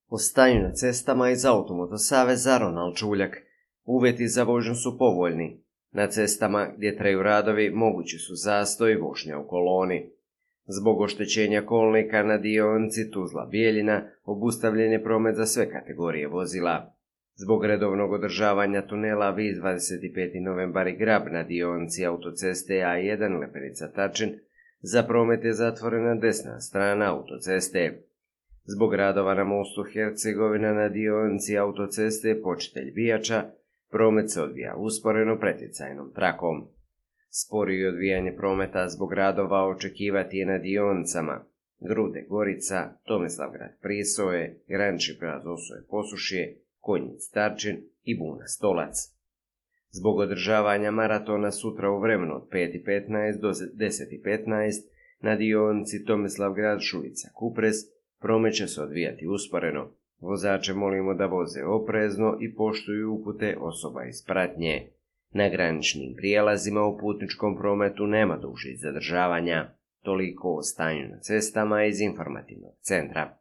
O stanju na cestama iz Automoto saveza Ronald Čuljak. Uvjeti za vožnju su povoljni. Na cestama gdje traju radovi mogući su zastoj i vožnja u koloni. Zbog oštećenja kolnika na dionici Tuzla-Bijeljina obustavljen je promet za sve kategorije vozila. Zbog redovnog održavanja tunela Vis 25. novembar i Grab na dionici autoceste A1 Lepenica-Tačin za promet je zatvorena desna strana autoceste. Zbog radova na mostu Hercegovina na dionici autoceste Počitelj Bijača promet se odvija usporeno pretjecajnom trakom. Sporije odvijanje prometa zbog radova očekivati je na dionicama Grude Gorica, Tomislavgrad Prisoje, Granični prijelaz Osoje Posušje, Konjic Tarčin i Buna Stolac. Zbog održavanja maratona sutra u vremenu od 5:15 do 10:15 na dionici Tomislavgrad Šulica Kupres promet će se odvijati usporeno. Vozače molimo da voze oprezno i poštuju upute osoba iz pratnje. Na graničnim prijelazima u putničkom prometu nema dužih zadržavanja. Toliko o stanju na cestama iz informativnog centra.